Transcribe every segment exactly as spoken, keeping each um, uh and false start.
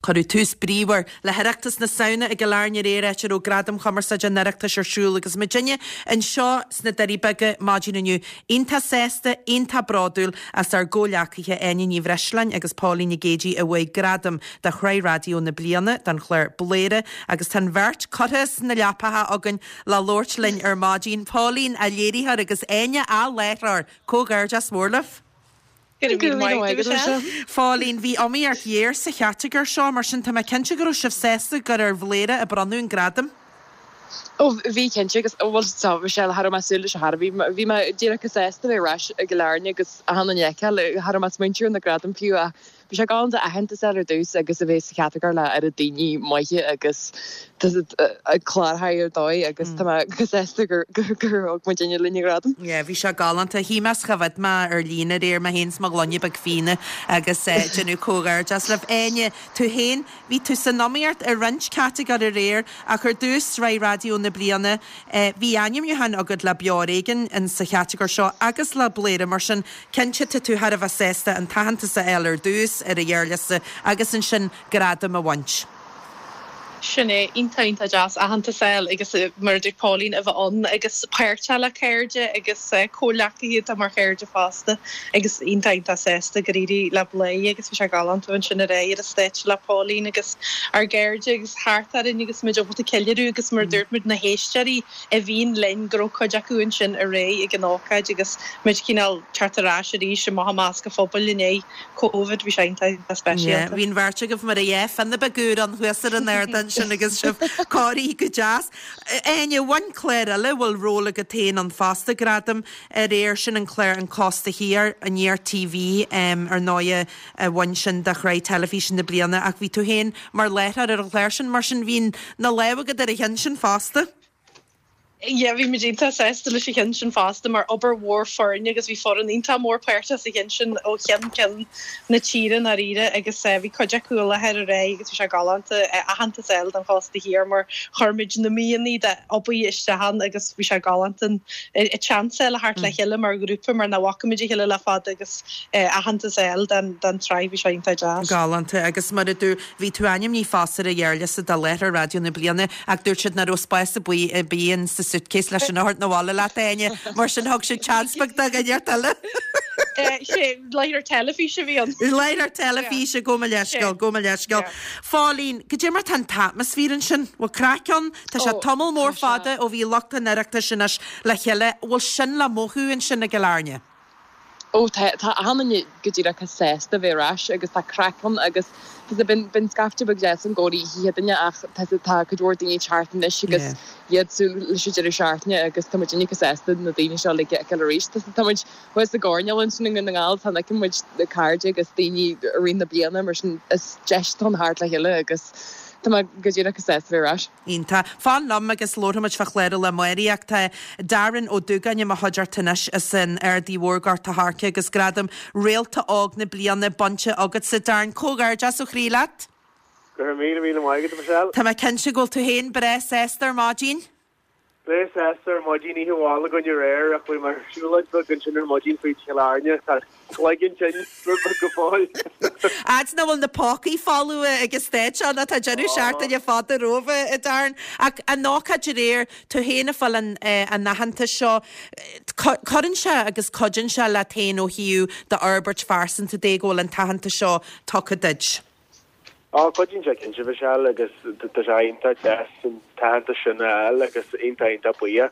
Cuireadh tús bríomhar le hOireachtas na Samhna i gCill Airne aréir, áit a raibh Gradaim Chumarsáide an Oireachtais ar siúl agus muidinne anseo sna Doirí Beaga maidin inniu iontach sásta, iontach bródúil as ár gcomhghleacaithe Áine Ní Bhreisleáin agus Póilín Nic Géidigh a bhuaigh gradam do Shraith Raidió na Bliana don chlár Bladhaire agus tá an bheirt curtha sna leapacha againn le labhairt linn ar maidin. Póilín, a léiritheoir agus Áine, a láithreoir, comhghairdeas mór libh. Phóilín, bhí iomaíocht ghéar sa chatagóir seo, mar sin tá mé cinnte go raibh sibh sásta gur ar Bhladhaire a bronnadh an gradam. Ó bhí cinnte agus bhuel tá Michelle cha raibh mé ag súil leis ar chor ar bith. Bhí mé díreach chomh sásta bheith ar ais i gCill Airne agus achan duine a fheiceáil. Cha raibh mé ag smaointiú ar na gradaim fiú ach Bhí sé galánta aitheantas a fháil ar dtús agus a bheith sa chatagóir le oiread daoine maithe agus clárthaí ar dóigh agus tá mé go sásta gur thug muidinne linn an gradam. Yeah, bhí sé galánta. Shuigh mé 's choimhéad mé ar líne aréir, mé féin 's mo ghloine beag fíona agus déanamh comhghairdeas libh. Áine, tú féin, bhí tú san iomaíocht i roinnt catagóir aréir ach ar dtús Sraith Raidió na Bliana, bhí ainmniúchán agat le Beo Ar Éigean in sa chatagóir seo agus le Bladhaire, mar sin cinnte tá tú thar a bheith sásta an t-aitheantas a fháil ar dtús ar an ghearrliosta agus ansin gradam a bhaint. Sin é, iontach iontach deas aitheantas a fháil agus mar a dúirt Pauline a bheith ann agus páirteach le cairde agus comhghleacaithe atá mar chairde fosta agus iontach iontach sásta gur éirigh le Bladhaire agus bhí sé galánta ansin aréir ar an stáitse le Pauline agus ár gcairde agus thart orainn agus muid ábalta ceiliúradh agus mar a dúirt muid na héisteoirí a bhíonn linn go raibh cuid acu ansin aréir ag an ócáid agus muid cineál teacht ar ais arís amach i measc an phobail i ndiaidh Covid, bhí sé iontach Yeah, speisialta. bhí an bheirt agaibh mar a dhea fionnadh beag úr ann thuas ar an ardán sin agus sibh cóirithe go deas. Áine, bhain clár eile, bhfuil ról agat féin ann fosta, gradam aréir sin an clár An Cósta Thiar, Aniar TV, ar ndóighe a bhain sin do shraith teilifíse na bliana ach bhí tú féin mar láithreoir ar an chlár sin, mar sin bhí na lámha agat ar an cheann sin fosta. Yeah, bhí muid iontach sásta leis an cheann sin fosta mar obair mhór foirne agus bhí foireann iontach mór páirteach sa cheann sin ó cheann ceann na tíre i ndáiríre agus eh, bhí cuid acu i láthair aréir agus bhí sé galánta eh, aitheantas a fháil don chósta thiar mar chuir muid na míonna d'obair isteach ann agus bhí sé galánta an seans a theacht le chéile mar ghrúpa mar nach bhfaca muid a chéile le fada agus eh, aitheantas a fháil don don tsraith bhí sé iontach deas. Galánta agus mar a dúirt bhí tú ainmnithe fosta ar an ghearrliosta do láithreoir raidió na bliana ach dúirt siad nach raibh spás ar bith ar bith in sa suitcase leis an áthart na bhile leat Áine mar sin thug siad chance beag do dhuine eile. sé láithreoir teilifíse bhí an. Láithreoir teilifíse gabh mo leithscéal gabh mo leithscéal. Phóilín, goidé mar tá an t-atmaisféar ansin, bhfuil craic ann, Tá sé Ó tamall mór tá sé. fada ó bhí lucht an Oireachtais anois le chéile, bhfuil sin le mothú ansin i gCill Airne. Ó tá tá achan duine go díreach sásta bheith ar ais agus tá craic ann agus tá bíonn bíonn scaifte beag deas i gcónaí oíche Chéadaoine ach tá tá cuid mhór daoine thart anois agus Yeah. iad súil leis an deireadh seachtaine agus tá muid uilig sásta na daoine seo uilig a fheiceáil arís. Tá tá muid thuas i gcoirnéal ansin i nDún na nGall tá feiceann muid na cairde agus daoine i rith na bliana mar sin is deis atá ann theacht le chéile agus tá mé go díreach sásta bheith ar ais. Iontach. Fan liom agus labharfaimid fá chlár eile amárach. Tá Darren Ó Dúgáin i mo chuideachta anois as an Aird Mhór Gort a' Choirce agus gradam Réalta Óg na Bliana bainte agatsa Darren. Comhghairdeas ó chroí leat. Go raibh míle míle maith agat Michelle. Tá mé cinnte go bhfuil tú féin breá sásta ar maidin? Breá sásta ar maidin oíche mhaith againn aréir ach bhí mar siúlóid bheag ansin ar maidin fríd Chill Airne tá cloigeann tinn go fóill. Fhad nach bhfuil na pócaí folamh agus stáit ann atá deireadh seachtaine fada romhaibh a Darren. Ach an ócáid aréir tú féin ag fáil an an aitheantas seo cuireann sé agus cuidíonn sé leat féin ó thaobh d'fhorbairt phearsanta de go bhfuil an t-aitheantas seo tugtha duit. Á cuidíonn sé cinnte Michelle agus tá sé iontach deas an t-aitheantas sin a fháil agus iontach iontach buíoch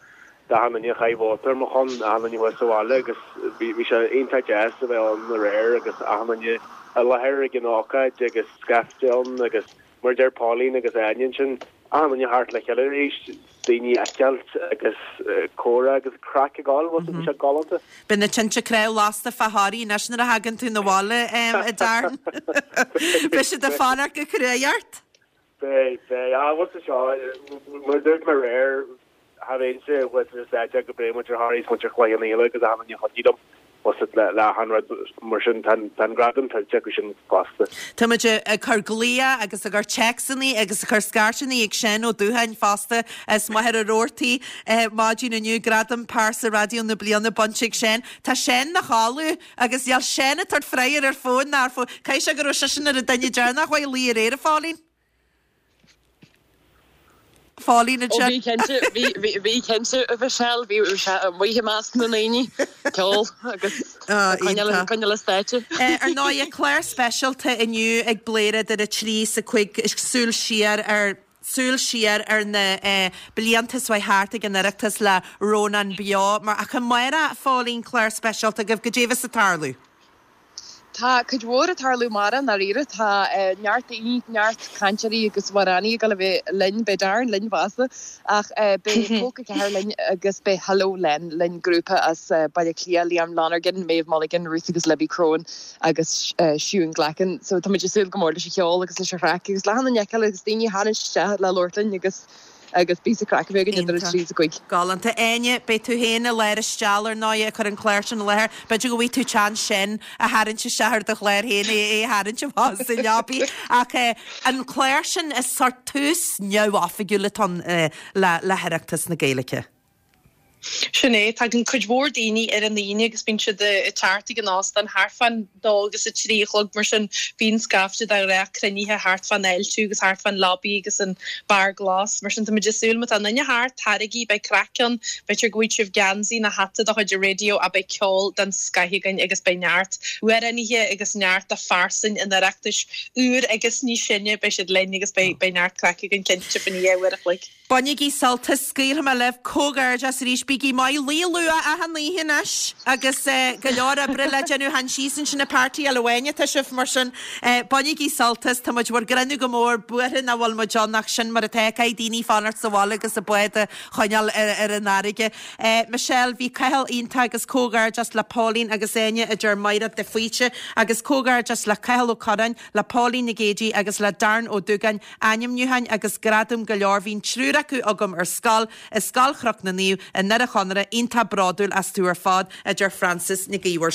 d'achan duine a chaith vóta ar mo shon achan duine thuas sa bhaile agus bhí sé iontach deas a bheith ann aréir agus achan duine i láthair ag an ócáid agus scaifte ann agus mar deir Pauline agus Áine ansin achan duine thart le chéile arís daoine a fheiceáil agus comhrá agus craic ag gabháil bhí sé galánta. Beidh na tinte cnámh lasta fá Thoraí anois nuair a thagann tú 'na bhaile a Darren. Beidh siad ag fanacht go cruaidh ort. Beidh beidh á bhfuil seo mar dúirt mé aréir cha bheinnse thuas ar an stáitse go bréid muintir Thoraí muintir Chloich Cheann Fhaola agus achan duine a chuidigh liom. le le achan rud mar sin tá an gradam tuillte acu sin fosta. Tá muid ag cur glaoch agus ag cur téacsanna agus ag cur scairteanna ag Seán Ó Dúcháin fosta as Machaire Rabhartaigh maidin inniu gradam pearsa raidió na bliana bainte ag Seán. Tá Seán 'na chodladh agus níl Seán ag tabhairt freagra ar fón ná ar fón. Caithfidh sé go raibh seisean ar an duine deireanach a luigh aréir a Phóilín? Phóilín Ó bhí cinnte bhí cinnte a Mhichelle bhí amuigh i measc na ndaoine ceol agus coinneáil le stáitse. Ar ndóigh clár speisialta inniu ag Bladhaire idir a trí is a cúig súil siar ar súil siar ar na blianta is thart ag an Oireachtas le Rónán Beo mar ach amárach a Phóilín clár speisialta agaibh goidé a bheas ag tarlú. Tá cuid mhór ag tarlú amárach i ndáiríre. Tá neart daoine, neart cainteoirí agus amhránaí ag dul a bheith linn, beidh Darren linn fosta, ach beidh Folk a ceathair linn agus beidh Hello Len linn, grúpa as Baile Átha Cliath, Liam Lonergan, Maeve Mulligan, Ruth agus Libby Crone agus Siún Glackin. So tá muid ag súil go mór leis an cheol agus leis an chraic agus le achan duine a fheiceáil agus daoine a tharraingt isteach le labhairt linn agus agus píosa craic a bheith againn idir a trí is a cúig. Galánta. Áine, beidh tú féin i lár an steall ar ndóigh ag cur an clár sin i láthair. B'fhéidir go bhfaighidh tú chance sin a tharraingt isteach ar do chlár féin, é a tharraingt amach as an leabaidh. Ach an clár sin is sórt tús neamhoifigiúil atá ann le le hOireachtas na Gaeilge. Sin é, tagann cuid mhór daoine ar an Aoine agus bíonn siad ag teacht ag an óstán thart fán dó agus a trí a chlog mar sin bíonn scaifte de ghnáth cruinnithe thart fán fháiltiú agus thart fán lobby agus an beár glas. Mar sin tá muid ag súil má tá aon duine thart, taraigí, beidh craic ann, b'fhéidir go bhfaighidh sibh geansaí nó hata de chuid an raidió ach beidh ceol den scoith againn agus beidh neart amhránaithe agus neart de phearsain an Oireachtais úr agus níos sine, beidh siad linn agus beidh beidh neart craic againn cinnte faoin oíche uair a chloig. Bainigí sult as, scaoilfidh mé libh, comhghairdeas arís, bígí maith, luí luath achan oíche anois agus go leor oibre le déanamh, chan síos ansin ag partyáil amháin atá sibh, mar sin bainigí sult as, tá muid bhur gcrinneadh go mór, buartha nach bhfuil muid ann ach sin mar atá, caithfidh daoine fanacht sa bhaile agus a bád a choinneáil ar an fharraige. Michelle, bhí Cathal iontach agus comhghairdeas le Pauline agus Áine a deir Mairéad de Faoite agus comhghairdeas le Cathal Ó Curráin, le Pauline Nic Géidigh agus le Darren Ó Dúgáin, ainmniúcháin agus gradaim go leor. Bhí an triúr acu agam ar scoil, i Scoil Chnoc na Naomh i nDoire Chonaire, iontach bródúil astu ar fad, a deir Frances Nic Íomhair.